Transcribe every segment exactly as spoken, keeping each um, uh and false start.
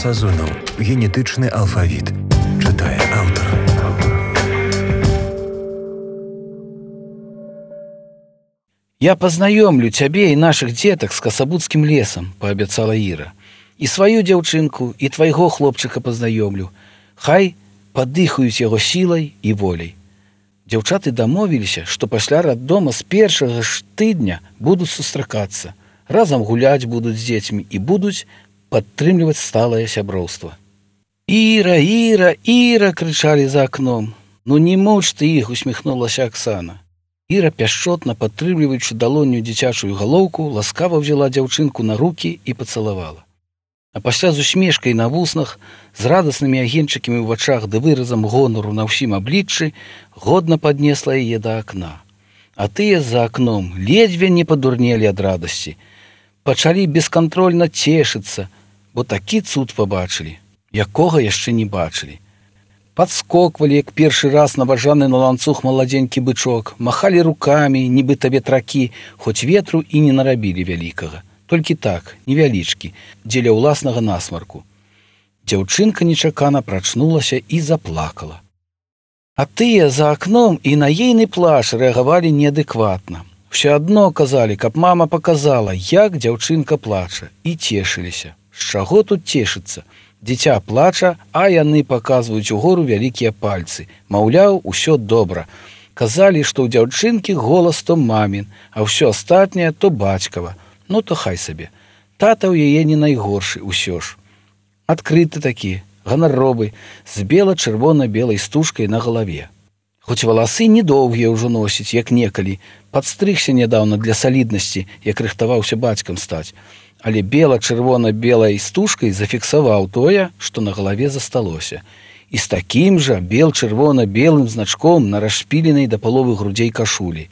Сазонаў. Генетычны алфавіт. Чытае аўтар. «Я познаёмлю цябе і нашых дзетак з касабуцкім лесам», – паабяцала Іра. «І сваю дзяўчынку, і твайго хлопчыка познаёмлю. Хай падыхаюць яго сілай і воляй». Дзяўчаты дамовіліся, што пасля раддома з першага ж тыдня будуць сустракацца, разам гуляць будуць з дзецьмі і будуць падтрымліваць сталае сяброўства. «Іра, Іра, Іра!» – крычалі за акном. «Ну не муч ты іх!» – усміхнулася Аксана. Іра, пяшчотна падтрымліваючы далонню дзіцячую галоўку, ласкава взяла дзяўчынку на рукі і пацалавала. А пасля з усмешкай на вуснах, з радаснымі агеньчыкамі ў вачах ды выразам гонару на ўсім абліччы, годна паднесла яе да акна. А тыя за акном ледзьве не падурнелі ад радасці. Пачалі бескантрольна цешыцца, бо такі цуд пабачылі, якога яшчэ не бачылі. Падскоквалі, як першы раз наважаны на ланцуг маладзенькі бычок, махалі рукамі, нібыта ветракі, хоць ветру і не нарабілі вялікага. Толькі так, невялічкі, дзеля ўласнага насмарку. Дзяўчынка нечакана прачнулася і заплакала. А тыя за акном і на ейны плач рэагавалі неадэкватна. Усё адно казалі, каб мама паказала, як дзяўчынка плача, і цешыліся. З чаго тут цешыцца? Дзіця плача, а яны паказваюць угору вялікія пальцы. Маўляў, усё добра. Казалі, што ў дзяўчынкі голас то мамін, а ўсё астатняе то бацькава. Ну то хай сабе. Тата ў яе не найгоршы ўсё ж. Адкрыты такі, ганаровы, з бела-чырвона-белай стужкай на галаве. Хоць валасы недоўгія ўжо носіць, як некалі, падстрыгся нядаўна для саліднасці, як рыхтаваўся бацькам стаць. Але бела-чырвона-белай стужкай зафіксаваў тое, што на галаве засталося. І з такім жа бел-чырвона-белым значком на расшпіленай да паловы грудзей кашулі.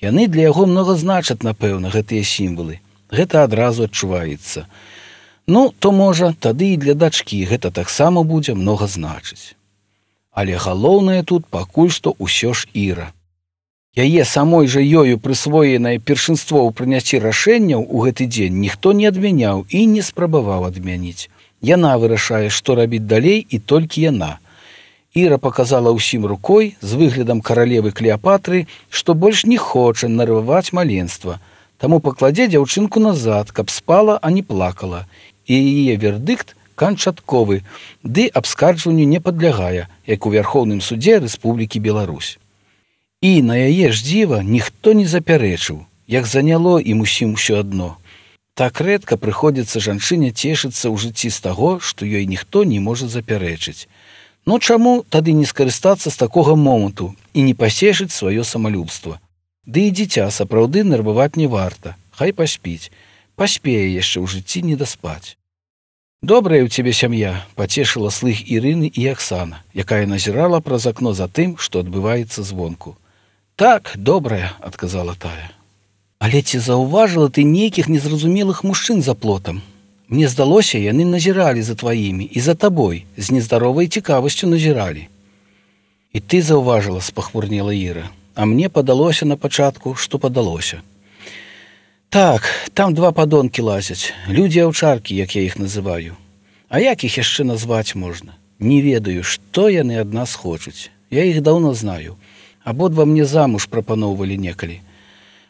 Яны для яго многа значаць, напэўна, гэтыя сімвалы. Гэта адразу адчуваецца. Ну, то можа, тады і для дачкі гэта таксама будзе многа значыць. Але галоўнае тут пакуль што ўсё ж Іра. Яе самой жа ёю прысвоенае першынство ў прыняцці рашэнняў у гэты дзень ніхто не адмяняў і не спрабаваў адмяніць. Яна вырашае, што рабіць далей, і толькі яна. Іра паказала ўсім рукой з выглядам каралевы Клеапатры, што больш не хоча нарываць маленства, таму пакладзе дзяўчынку назад, каб спала, а не плакала. І яе вердыкт канчатковы, ды абскарджванню не падлягае, як у Вярхоўным судзе Рэспублікі Беларусь. І на яе ж дзіва ніхто не запярэчыў, як заняло ім усім усё адно. Так рэдка прыходзіцца жанчыне цешыцца ў жыцці з таго, што ёй ніхто не можа запярэчыць. Ну чаму тады не скарыстацца з такога моманту і не пасешыць сваё самалюбства? Ды і дзіця сапраўды нерваваць не варта, хай паспіць, паспее яшчэ ў жыцці не даспаць. «Добрая ў цябе сям'я», – пацешыла слых Ірыны і Аксана, якая назірала праз акно за тым, што адбываецца звонку. «Так, добрая», – адказала тая. «Але ці заўважыла ты нейкіх незразумелых мужчын за плотам? Мне здалося, яны назіралі за тваімі і за табой, з нездаровай цікавасцю назіралі». «І ты заўважыла», – спахмурнела Іра, – «а мне падалося на пачатку, што падалося». «Так, там два падонкі лазяць, людзі-аўчаркі, як я іх называю. А як іх яшчэ назваць можна? Не ведаю, што яны ад нас хочуць. Я іх даўно знаю. Абодва мне замуж прапаноўвалі некалі.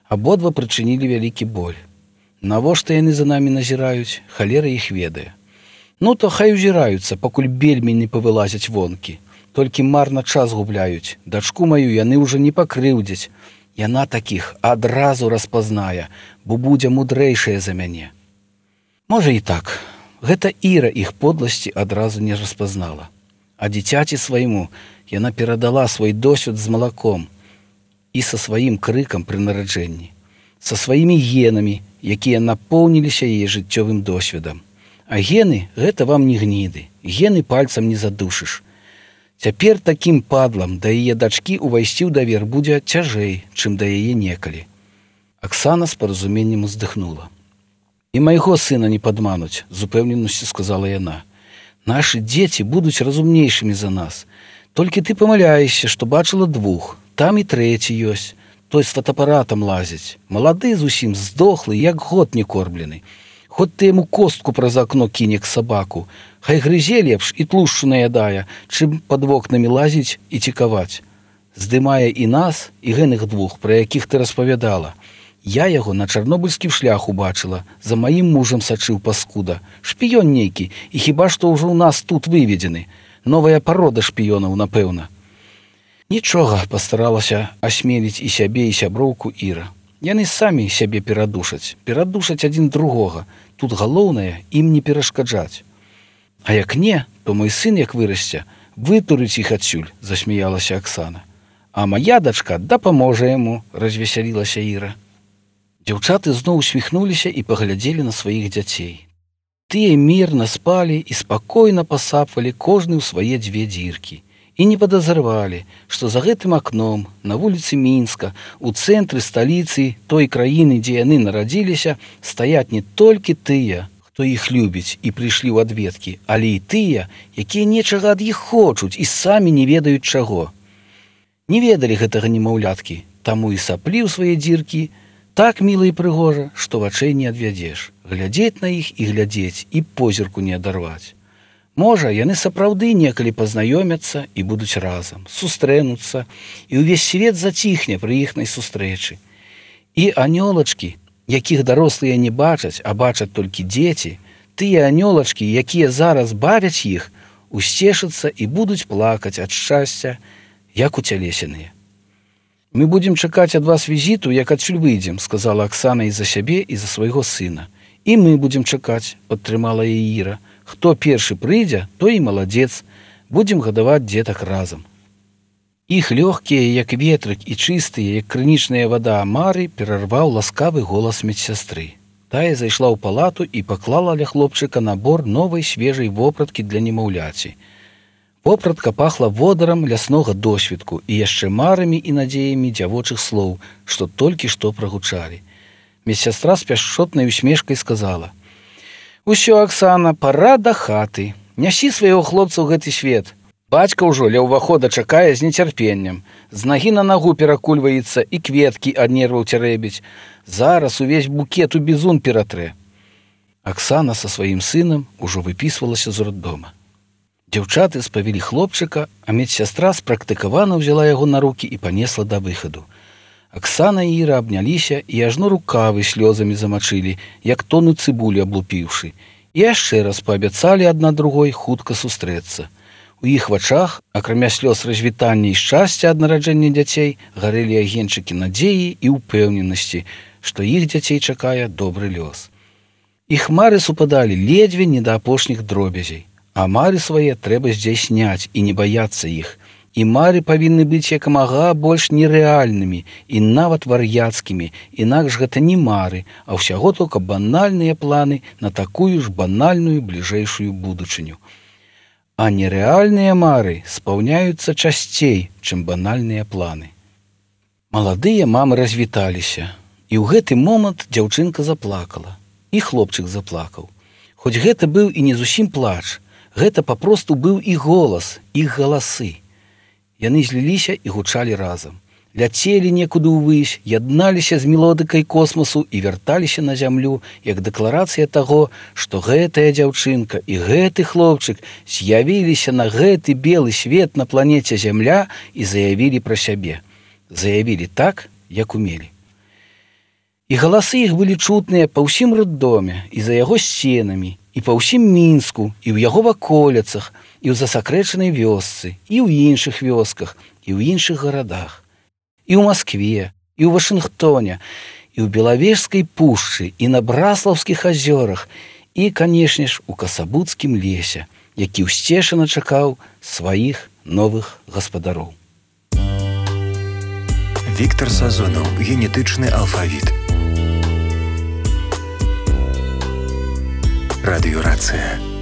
Абодва прычынілі вялікі боль. Навошта яны за намі назіраюць, халера іх ведае. Ну то хай узіраюцца, пакуль бельмі не павылазяць вонкі. Толькі марна час губляюць. Дачку маю яны ўжо не пакрыўдзяць. Яна такіх адразу распазнае, бо будзе мудрэйшая за мяне». Можа і так. Гэта Іра іх подласці адразу не распазнала. А дзіцяці свайму яна перадала свой досвед з малаком і са сваім крыкам пры нараджэнні, са сваімі генамі, якія напоўніліся яе жыццёвым досведам. А гены – гэта вам не гніды, гены пальцам не задушыш. Цяпер такім падлам да яе дачкі ўвайсці ў давер будзе цяжэй, чым да яе некалі. Аксана з паразуменнем уздыхнула. «І майго сына не падмануць», – з упэўненасцю сказала яна. «Нашы дзеці будуць разумнейшымі за нас. Толькі ты памыляешся, што бачыла двух. Там і трэці ёсць. Той з фотоапаратам лазіць. Малады зусім здохлы, як год не корблены. Хоць ты яму костку праз акно кіне к сабаку, хай грызе лепш і тлушчу наядае, чым пад вокнамі лазіць і цікаваць. Здымае і нас, і гэных двух, пра якіх ты распавядала. Я яго на чарнобыльскім шляху бачыла, за маім мужам сачыў паскуда. Шпіён нейкі, і хіба што ўжо ў нас тут выведзены. Новая парода шпіёнаў, напэўна. Нічога, пастаралася асмеліць і сябе, і сяброўку Іра. Яны самі сябе перадушаць, перадушаць адзін другога. Тут галоўнае ім не перашкаджаць. А як не, то мой сын, як вырасце, вытурыць іх адсюль, засмяялася Аксана. А мая дачка дапаможа яму, развесялілася Іра. Дзяўчаты зноў усміхнуліся і паглядзелі на сваіх дзяцей. Тыя мірна спалі і спакойна пасапвалі кожны ў свае дзве дзіркі. І не падазравалі, што за гэтым акном, на вуліцы Мінска, у цэнтры сталіцы той краіны, дзе яны нарадзіліся, стаяць не толькі тыя, хто іх любіць і прыйшлі ў адведкі, але і тыя, якія нечага ад іх хочуць і самі не ведаюць чаго. Не ведалі гэтага немаўляткі, таму і саплі ў свае дзіркі, так міла і прыгожа, што вачэй не адвядзеш. Глядзець на іх і глядзець, і позірку не адарваць. Можа, яны сапраўды некалі пазнаёмяцца і будуць разам, сустрэнуцца, і ўвесь свет заціхне пры іхнай сустрэчы. І анёлачкі, якіх дарослыя не бачаць, а бачаць толькі дзеці, тыя анёлачкі, якія зараз бавяць іх, усцешацца і будуць плакаць ад шчасця, як уцялесеныя. «Мы будзем чакаць ад вас візіту, як адсюль выйдзем», сказала Аксана і за сябе, і за свайго сына. «І мы будзем чакаць», падтрымала яе Іра. «Хто першы прыйдзе, той і маладзец. Будзем гадаваць дзетак разам». Іх лёгкія, як ветрык, і чыстыя, як крынічная вада амары, перарваў ласкавы голас медсястры. Тая зайшла ў палату і паклала ля хлопчыка набор новай свежай вопраткі для немаўляці. Вопратка пахла водарам ляснога досведку і яшчэ марамі і надзеямі дзявочых слоў, што толькі што прагучалі. Медсястра з пяшчотнай усмешкай сказала: «Усё, Аксана, пара да хаты. Нясі свайго хлопца ў гэты свет. Бацька ўжо ля ўвахода чакае з нецярпеннем. З нагі на нагу перакульваецца і кветкі ад нерваў цярэбіць. Зараз увесь букет у бізун ператрэ». Аксана са сваім сынам ужо выпісвалася з роддома. Дзяўчаты спавілі хлопчыка, а медсястра спрактыкавана ўзяла яго на рукі і панесла да выхаду. Аксана і Іра абняліся і ажно рукавы слёзамі замачылі, як тону цыбулі аблупіўшы, і яшчэ раз паабяцалі адна другой хутка сустрэцца. У іх вачах, акрамя слёз развітання і шчасця ад нараджэння дзяцей, гарэлі агеньчыкі надзеі і ўпэўненасці, што іх дзяцей чакае добры лёс. Іх мары супадалі ледзьве не да апошніх дробязей. А мары свае трэба здзяйсняць і не баяцца іх. І мары павінны быць як мага больш нерэальнымі і нават вар'яцкімі, інакш гэта не мары, а ўсяго толькі банальныя планы на такую ж банальную бліжэйшую будучыню. А нерэальныя мары спаўняюцца часцей, чым банальныя планы. Маладыя мамы развіталіся, і ў гэты момант дзяўчынка заплакала, і хлопчык заплакаў. Хоць гэта быў і не зусім плач, гэта папросту быў і голас, іх галасы. Яны зліліся і гучалі разам. Ляцелі некуды ўвысь, ядналіся з мелодыкай космасу і вярталіся на зямлю, як дэкларацыя таго, што гэтая дзяўчынка і гэты хлопчык з'явіліся на гэты белы свет на планеце Зямля і заявілі пра сябе. Заявілі так, як умелі. І галасы іх былі чутныя па ўсім роддоме і за яго сценамі, і па ўсім Мінску, і ў яго ваколіцах, і ў засакрэчанай вёсцы, і ў іншых вёсках, і ў іншых гарадах, і ў Маскве, і ў Вашынгтоне, і ў Белавежскай пушчы, і на Браслаўскіх азёрах, і, канешне ж, у Касабуцкім лесе, які ўсцешана чакаў сваіх новых гаспадароў. Віктор Сазонаў. Генетычны алфавіт. Радыёрацыя.